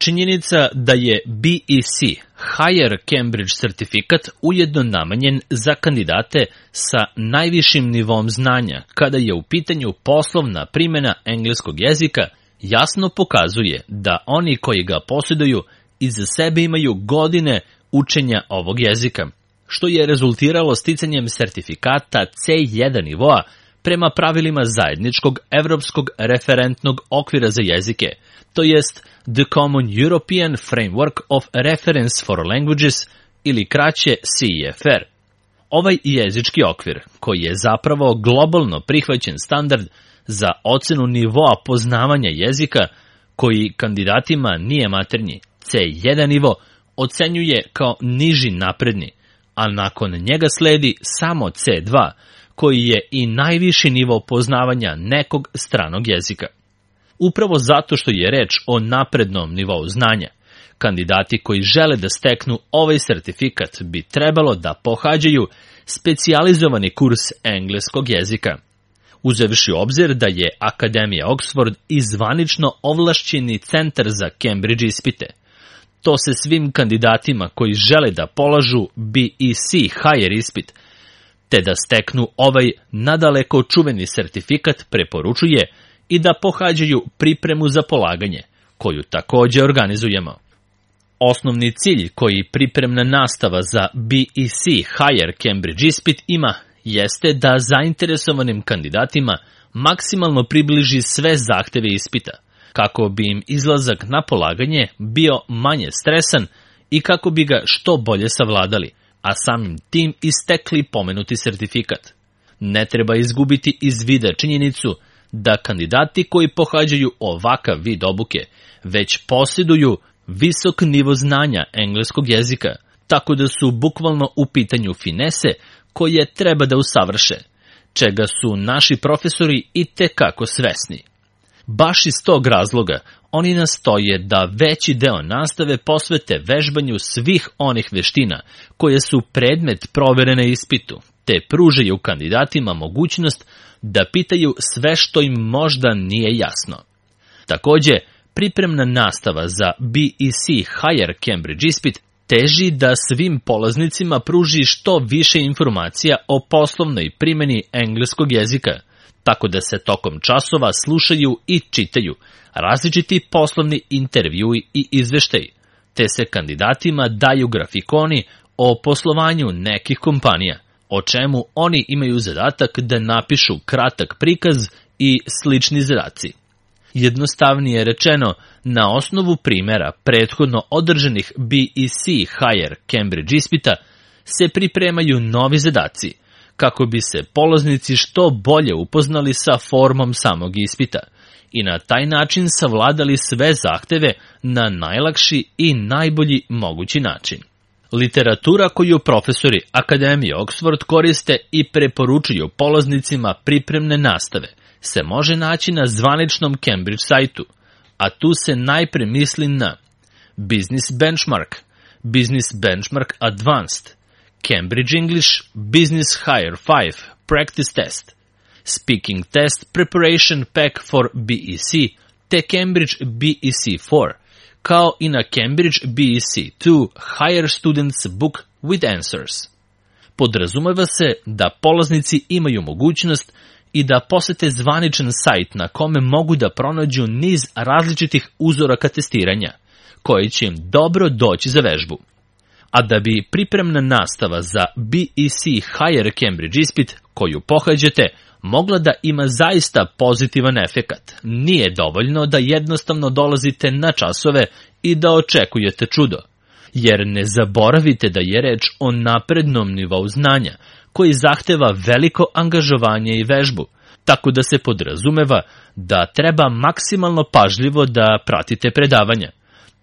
Činjenica da je BEC, Higher Cambridge Certificate, ujedno namenjen za kandidate sa najvišim nivom znanja kada je u pitanju poslovna primjena engleskog jezika, jasno pokazuje da oni koji ga posjeduju iza sebe imaju godine učenja ovog jezika, što je rezultiralo sticanjem sertifikata C1 nivoa prema pravilima zajedničkog evropskog referentnog okvira za jezike, to jest The Common European Framework of Reference for Languages ili kraće CEFR. Ovaj jezički okvir, koji je zapravo globalno prihvaćen standard za ocenu nivoa poznavanja jezika, koji kandidatima nije maternji, C1 nivo, ocenjuje kao niži napredni, a nakon njega sledi samo C2, koji je i najviši nivo poznavanja nekog stranog jezika. Upravo zato što je reč o naprednom nivou znanja, kandidati koji žele da steknu ovaj sertifikat bi trebalo da pohađaju specijalizovani kurs engleskog jezika. Uzevši u obzir da je Akademija Oxford i zvanično ovlašćeni centar za Cambridge ispite, to se svim kandidatima koji žele da polažu BEC Higher ispit, te da steknu ovaj nadaleko čuveni sertifikat preporučuje i da pohađaju pripremu za polaganje, koju također organizujemo. Osnovni cilj koji pripremna nastava za BEC Higher Cambridge ispit ima jeste da zainteresovanim kandidatima maksimalno približi sve zahteve ispita, kako bi im izlazak na polaganje bio manje stresan i kako bi ga što bolje savladali, a samim tim istekli pomenuti sertifikat. Ne treba izgubiti iz vida činjenicu da kandidati koji pohađaju ovakav vid obuke već posjeduju visok nivo znanja engleskog jezika, tako da su bukvalno u pitanju finese koje treba da usavrše, čega su naši profesori i tekako svesni. Baš iz tog razloga oni nastoje da veći deo nastave posvete vežbanju svih onih veština koje su predmet provere na ispitu, te pružaju kandidatima mogućnost da pitaju sve što im možda nije jasno. Također, pripremna nastava za BEC Higher Cambridge ispit teži da svim polaznicima pruži što više informacija o poslovnoj primjeni engleskog jezika, tako da se tokom časova slušaju i čitaju različiti poslovni intervjui i izveštaji, te se kandidatima daju grafikoni o poslovanju nekih kompanija, o čemu oni imaju zadatak da napišu kratak prikaz i slični zadaci. Jednostavnije rečeno, na osnovu primjera prethodno održanih BEC Higher Cambridge ispita se pripremaju novi zadaci, kako bi se polaznici što bolje upoznali sa formom samog ispita i na taj način savladali sve zahteve na najlakši i najbolji mogući način. Literatura koju profesori Akademije Oxford koriste i preporučuju polaznicima pripremne nastave se može naći na zvaničnom Cambridge sajtu, a tu se najpre misli na Business Benchmark, Business Benchmark Advanced, Cambridge English Business Higher 5 Practice Test, Speaking Test Preparation Pack for BEC, te Cambridge BEC 4, kao i na Cambridge BEC 2 Higher Students Book with Answers. Podrazumeva se da polaznici imaju mogućnost i da posete zvaničan sajt na kome mogu da pronađu niz različitih uzoraka testiranja, koji će im dobro doći za vežbu. A da bi pripremna nastava za BEC Higher Cambridge ispit koju pohađate mogla da ima zaista pozitivan efekat, nije dovoljno da jednostavno dolazite na časove i da očekujete čudo. Jer ne zaboravite da je reč o naprednom nivou znanja, koji zahteva veliko angažovanje i vežbu, tako da se podrazumeva da treba maksimalno pažljivo da pratite predavanja,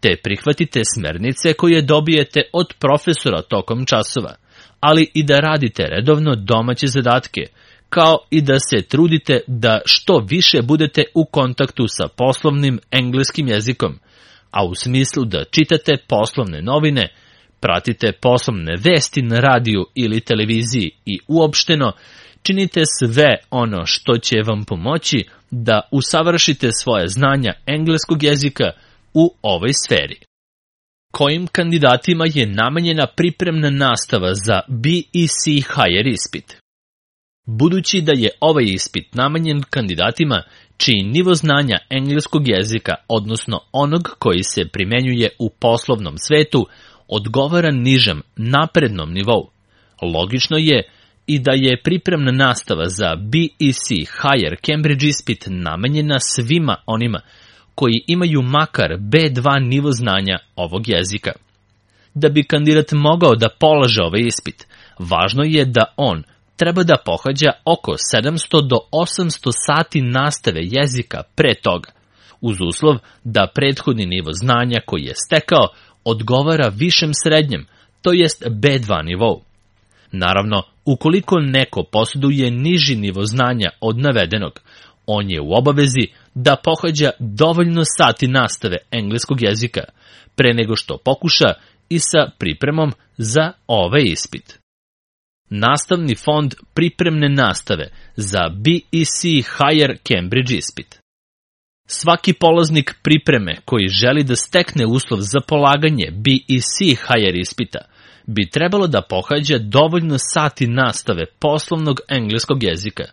te prihvatite smernice koje dobijete od profesora tokom časova, ali i da radite redovno domaće zadatke, kao i da se trudite da što više budete u kontaktu sa poslovnim engleskim jezikom, a u smislu da čitate poslovne novine, pratite poslovne vesti na radiju ili televiziji i uopšteno činite sve ono što će vam pomoći da usavršite svoje znanja engleskog jezika u ovoj sferi. Kojim kandidatima je namenjena pripremna nastava za BEC Higher ispit? Budući da je ovaj ispit namenjen kandidatima čiji nivo znanja engleskog jezika, odnosno onog koji se primenjuje u poslovnom svetu, odgovara nižem, naprednom nivou, logično je i da je pripremna nastava za BEC Higher Cambridge ispit namenjena svima onima koji imaju makar B2 nivo znanja ovog jezika. Da bi kandidat mogao da polaže ovaj ispit, važno je da on treba da pohađa oko 700 do 800 sati nastave jezika pre toga, uz uslov da prethodni nivo znanja koji je stekao odgovara višem srednjem, to jest B2 nivou. Naravno, ukoliko neko posjeduje niži nivo znanja od navedenog, on je u obavezi da pohađa dovoljno sati nastave engleskog jezika, pre nego što pokuša i sa pripremom za ovaj ispit. Nastavni fond pripremne nastave za BEC Higher Cambridge ispit. Svaki polaznik pripreme koji želi da stekne uslov za polaganje BEC Higher ispita bi trebalo da pohađa dovoljno sati nastave poslovnog engleskog jezika,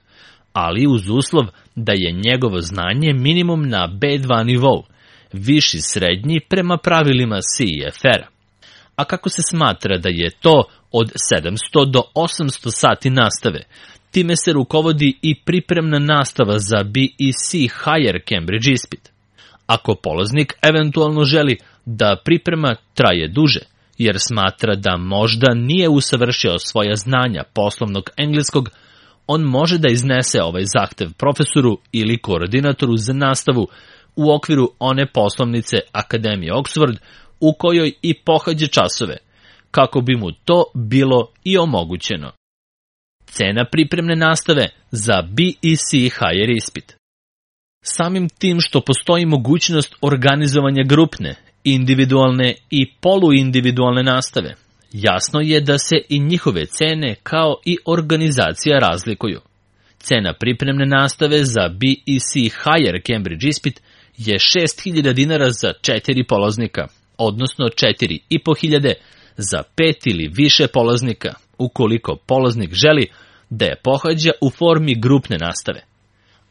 ali uz uslov da je njegovo znanje minimum na B2 nivou, viši srednji prema pravilima CEFR-a. A kako se smatra da je to od 700 do 800 sati nastave, time se rukovodi i pripremna nastava za BEC Higher Cambridge ispit. Ako polaznik eventualno želi da priprema traje duže, jer smatra da možda nije usavršio svoja znanja poslovnog engleskog, on može da iznese ovaj zahtev profesoru ili koordinatoru za nastavu u okviru one poslovnice Akademije Oxford u kojoj i pohađa časove, kako bi mu to bilo i omogućeno. Cena pripremne nastave za BEC Higher ispit. Samim tim što postoji mogućnost organizovanja grupne, individualne i poluindividualne nastave, jasno je da se i njihove cene kao i organizacija razlikuju. Cena pripremne nastave za BEC Higher Cambridge ispit je 6.000 dinara za 4 polaznika, odnosno 4.500 za 5 ili više polaznika, ukoliko polaznik želi da je pohađa u formi grupne nastave.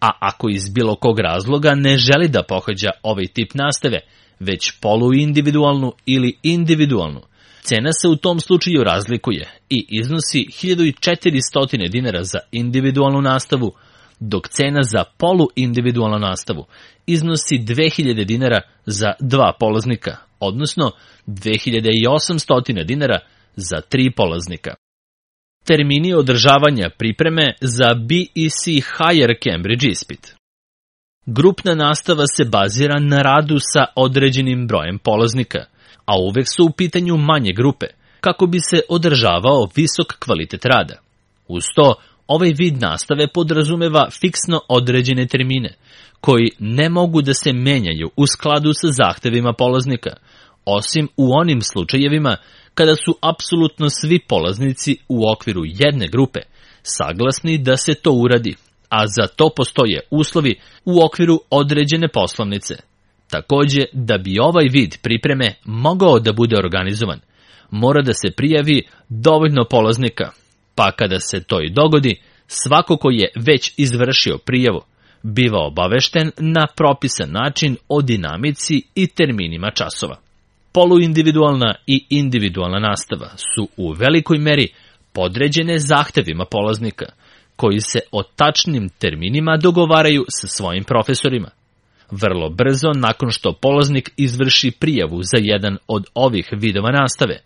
A ako iz bilo kog razloga ne želi da pohađa ovaj tip nastave, već poluindividualnu ili individualnu, cena se u tom slučaju razlikuje i iznosi 1.400 dinara za individualnu nastavu, dok cena za poluindividualnu nastavu iznosi 2.000 dinara za 2 polaznika, odnosno 2.800 dinara za 3 polaznika. Termini održavanja pripreme za BEC Higher Cambridge ispit. Grupna nastava se bazira na radu sa određenim brojem polaznika, a uvek su u pitanju manje grupe, kako bi se održavao visok kvalitet rada. Uz to, ovaj vid nastave podrazumeva fiksno određene termine, koji ne mogu da se menjaju u skladu sa zahtevima polaznika, osim u onim slučajevima kada su apsolutno svi polaznici u okviru jedne grupe saglasni da se to uradi, a za to postoje uslovi u okviru određene poslovnice. Takođe, da bi ovaj vid pripreme mogao da bude organizovan, mora da se prijavi dovoljno polaznika, pa kada se to i dogodi, svako ko je već izvršio prijavu biva obavešten na propisan način o dinamici i terminima časova. Poluindividualna i individualna nastava su u velikoj meri podređene zahtevima polaznika, koji se o tačnim terminima dogovaraju sa svojim profesorima. Vrlo brzo nakon što polaznik izvrši prijavu za jedan od ovih vidova nastave,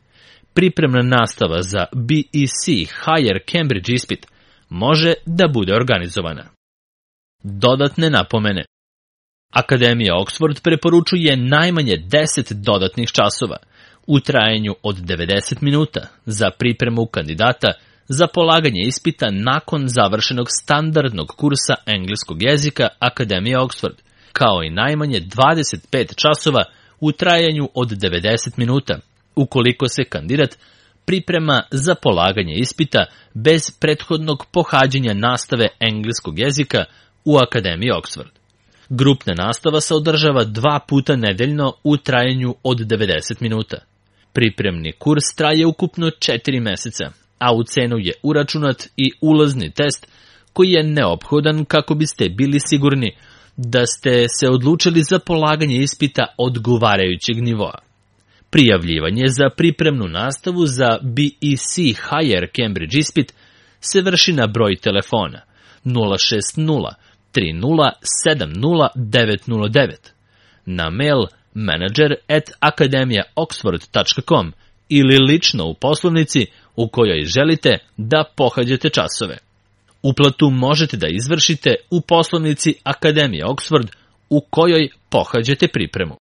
pripremna nastava za BEC Higher Cambridge ispit može da bude organizovana. Dodatne napomene. Akademija Oxford preporučuje najmanje 10 dodatnih časova u trajanju od 90 minuta za pripremu kandidata za polaganje ispita nakon završenog standardnog kursa engleskog jezika Akademije Oxford, kao i najmanje 25 časova u trajanju od 90 minuta, ukoliko se kandidat priprema za polaganje ispita bez prethodnog pohađanja nastave engleskog jezika u Akademiji Oxford. Grupna nastava se održava 2 puta nedeljno u trajanju od 90 minuta. Pripremni kurs traje ukupno 4 meseca, a u cenu je uračunat i ulazni test koji je neophodan kako biste bili sigurni da ste se odlučili za polaganje ispita odgovarajućeg nivoa. Prijavljivanje za pripremnu nastavu za BEC Higher Cambridge ispit se vrši na broj telefona 060 30 70 909, na mail manager@akademijaoxford.com ili lično u poslovnici u kojoj želite da pohađate časove. Uplatu možete da izvršite u poslovnici Akademije Oxford u kojoj pohađate pripremu.